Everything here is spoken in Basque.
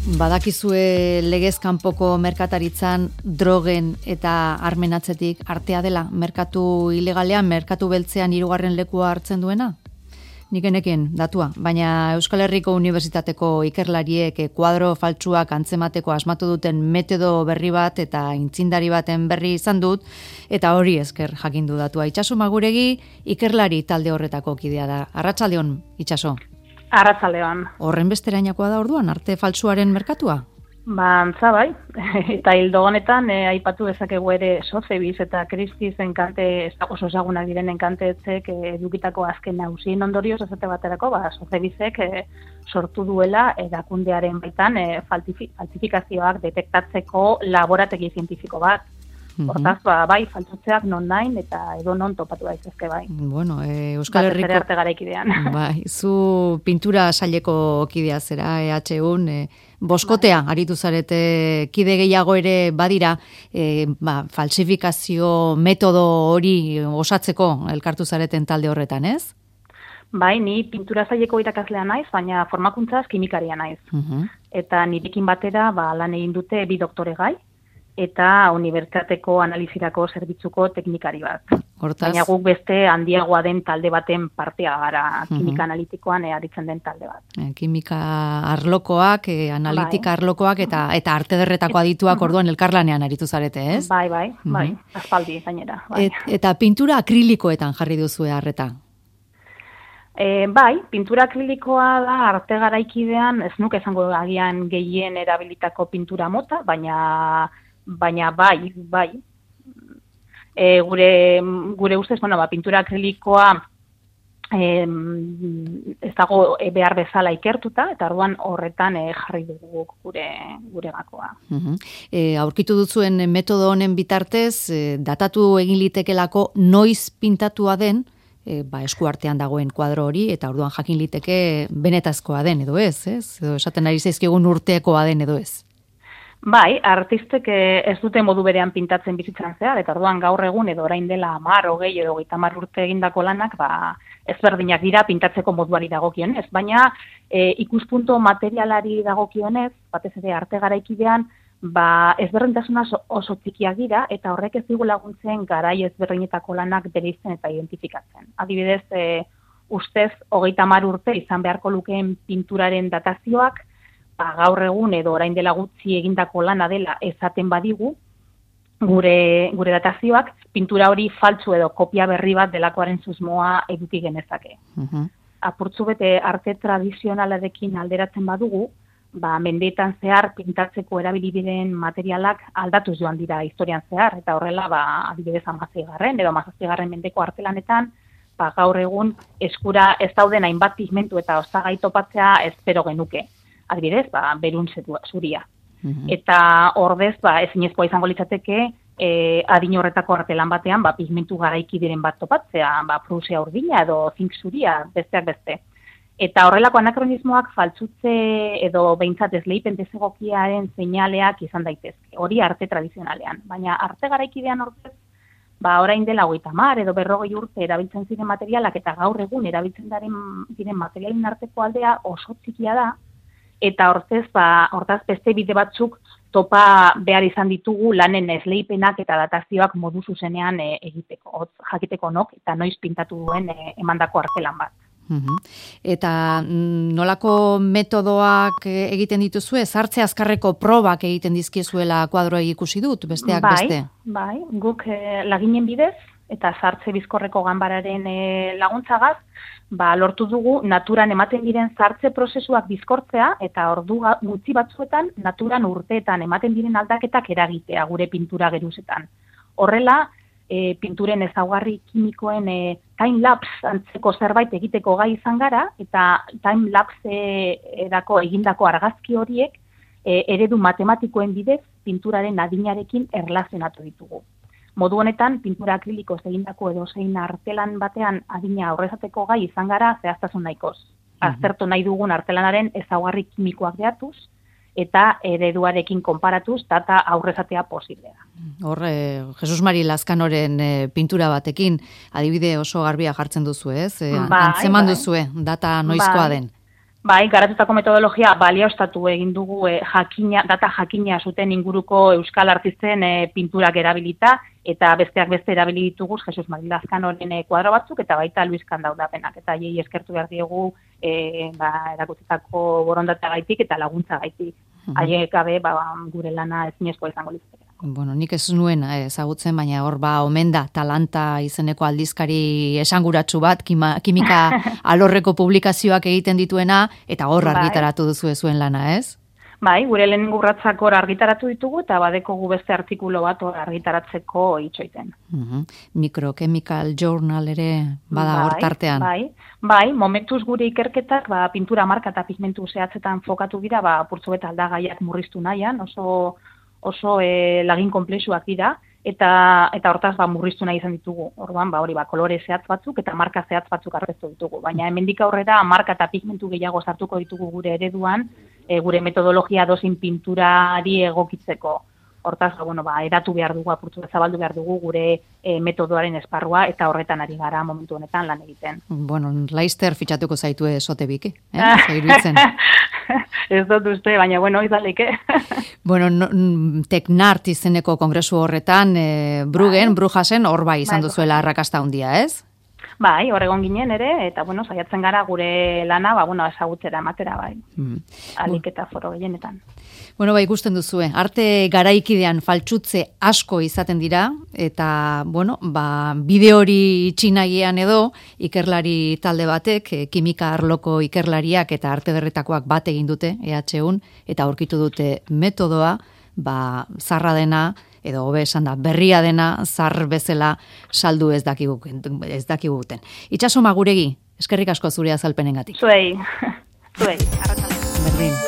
Badakizue legez kanpoko merkataritzan drogen eta armen atzetik artea dela, merkatu ilegalean, merkatu beltzean 3. lekua hartzen duena? Nik genekien datua, baina Euskal Herriko Unibertsitateko ikerlariek kuadro faltsuak antzemateko asmatu duten metodo berri bat eta intzindari baten berri izan dut, eta hori esker jakindu datua. Itxaso Maguregi ikerlari talde horretako kidea da. Arratsaldeon, Itxaso. Arratsaldeon. Horren besterainakoa da orduan, arte faltsuaren merkatua? Antza bai, eta hildo honetan aipatu dezakegu ere Sotheby's eta Christie's enkante, oso ezagunak diren enkanteetzek edukitako azken nausien ondorioz esate baterako, Sotheby'sek sortu duela erakundearen baitan falsifikazioak detektatzeko laborategi zientifiko bat. Hortaz, bai, faltsutzeak non nahin eta edo non topatu daitezke bai. Bueno, Euskal Herriko... arte garaikidean. Bai, zu pintura saileko kidea zera, EHUn, boskotea, aritu zarete kide gehiago ere badira, falsifikazio metodo hori osatzeko elkartu zareten talde horretan, ez? Bai, ni pintura saileko irakaslea naiz, baina formakuntzaz kimikaria naiz. Eta nirekin batera lan egin dute 2 doktoregai, eta unibertsitateko analizirako zerbitzuko teknikari bat. Hortaz... Baina guk beste handiagoa den talde baten partea gara, kimika analitikoan aritzen den talde bat. Kimika arlokoak, analitika arlokoak eta arte derretako adituak orduan elkarlanean aritu zarete, ez? Bai, aspaldi gainera. Bai. Eta pintura akrilikoetan jarri duzue harreta? Bai, pintura akrilikoa da arte garaikidean, ez nuke esango agian gehien erabilitako pintura mota, baina bai. Gure ustez, pintura akrilikoa ez dago behar bezala ikertuta, eta orduan horretan jarri dugu gure gakoa. Aurkitu duzuen metodo honen bitartez, datatu egin litekelako noiz pintatua den, eskuartean dagoen kuadro hori, eta orduan jakin liteke benetazkoa den, edo ez? Edo esaten ari zaizkigun urtekoa den, edo ez? Bai, artistek ez dute modu berean pintatzen bizitzan zehar, eta orduan gaur egun edo orain dela 10, 20 edo 30 urte egindako lanak, ezberdinak dira pintatzeko moduari dagokionez, baina ikuspuntu materialari dagokionez, batez ere arte garaikidean, ezberdintasuna oso txikiak dira, eta horrek ez digu laguntzen garai ezberdinetako lanak bereizten eta identifikatzen. Adibidez, ustez 30 urte izan beharko lukeen pinturaren datazioak, gaur egun edo orain dela gutxi egindako lana dela esaten badigu, gure datazioak pintura hori faltsu edo kopia berri bat delakoaren susmoa eduki genezake. Apurtzu bete arte tradizionalarekin alderatzen badugu, mendeetan zehar pintatzeko erabili diren materialak aldatuz joan dira historian zehar, eta horrela adibidez 16. edo 17. mendeko artelanetan, gaur egun eskura ez dauden hainbat pigmentu eta osagai topatzea espero genuke. Adibidez, berun zuria. Eta ordez, ezinezkoa izango litzateke, adin horretako artelan batean, pigmentu garaiki diren bat topatzea, prusia urdina edo zink zuria, besteak beste. Eta horrelako anakronismoak faltsutze edo behintzat esleipen desegokiaren seinaleak izan daitezke. Hori arte tradizionalean. Baina arte garaikidean ordez, orain dela 30 edo 40 urte erabiltzen ziren materialak eta gaur egun erabiltzen diren materialen arteko aldea oso txikia da, eta hortaz beste bide batzuk topa behar izan ditugu lanen esleipenak eta datazioak modu zuzenean egiteko, jakiteko nok eta noiz pintatu duen emandako artelan bat. Eta nolako metodoak egiten dituzue? Sartze azkarreko probak egiten dizkiezuela kuadroei ikusi dut, besteak beste? Bai, guk laginen bidez eta sartze bizkorreko ganbararen laguntzagaz, lortu dugu naturan ematen diren sartze prozesuak bizkortzea eta ordu gutxi batzuetan naturan urteetan ematen diren aldaketak eragitea gure pintura geruzetan. Horrela, pinturen ezaugarri kimikoen time-lapse antzeko zerbait egiteko gai izan gara, eta time-lapse egindako argazki horiek eredu matematikoen bidez pinturaren adinarekin erlazionatu ditugu. Modu honetan, pintura akrilikoz egindako edozein artelan batean adina aurrezateko gai izan gara zehaztasun nahikoz. Aztertu nahi dugun artelanaren ezaugarri kimikoak behatuz, eta ereduarekin konparatuz data aurrezatea posiblea. Hor, Jesus Mari Lazkanoren pintura batekin adibide oso garbia jartzen duzu, ez? Antzeman duzue, data noizkoa den. Bai, garatutako metodologia balioztatu egin dugu data jakina zuten inguruko euskal artisten pinturak erabilita, eta besteak beste erabili ditugu Jesus Mari Lazkanoren kuadro batzuk, eta baita Luis Kandaudapenak, eta hiei eskertu behar diegu erakutsitako borondateagaitik eta laguntzagaitik. Haiek gabe gure lana ezinezkoa izango litzateke. Bueno, nik ez nuen ezagutzen, baina hor omen da Talanta izeneko aldizkari esanguratsu bat, kimika alorreko publikazioak egiten dituena, eta hor argitaratu duzu zuen lana, ez? Bai, gure lehen urratsak hor argitaratu ditugu, eta badekogu beste artikulo bat hor argitaratzeko itxoiten. Microchemical Journal ere bada hor tartean. Bai, momentuz gure ikerketak pintura marka eta pigmentu zehatzetan fokatu dira, purtsu eta aldagaiak murriztu nahian, oso lagin konplexuak dira, eta hortaz murriztu nahi izan ditugu. Orduan, kolore zehatz batzuk eta marka zehatz batzuk aurkeztu ditugu. Baina hemendik aurrera marka eta pigmentu gehiago sartuko ditugu gure ereduan, gure metodologia dozin pinturari egokitzeko. Hortaz, eratu behar dugu, apurtzu zabaldu behar dugu gure metodoaren esparrua, eta horretan ari gara momentu honetan lan egiten. Bueno, Laster fitxatuko zaitu esote biki, zairuitzen. Ez dut uste, baina izaleke. Bueno, Teknart izeneko kongresu horretan, Brujasen, hor izan duzuela arrakasta handia, ez? Bai, horregon ginen ere, eta saiatzen gara gure lana, ezagutzera ematera, alik eta foro gehienetan. Bueno, ikusten duzue, arte garaikidean faltsutze asko izaten dira, eta, bide hori itxinagian edo, ikerlari talde batek, kimika arloko ikerlariak eta arte berretakoak bat egin dute, EHUn, eta aurkitu dute metodoa, zarra dena, edo hobe esan da, berria dena, zar bezala saldu ez dakiguten. Itxaso Maguregi, eskerrik asko zure azalpenengatik. Zuei, arratsalde. Berdin.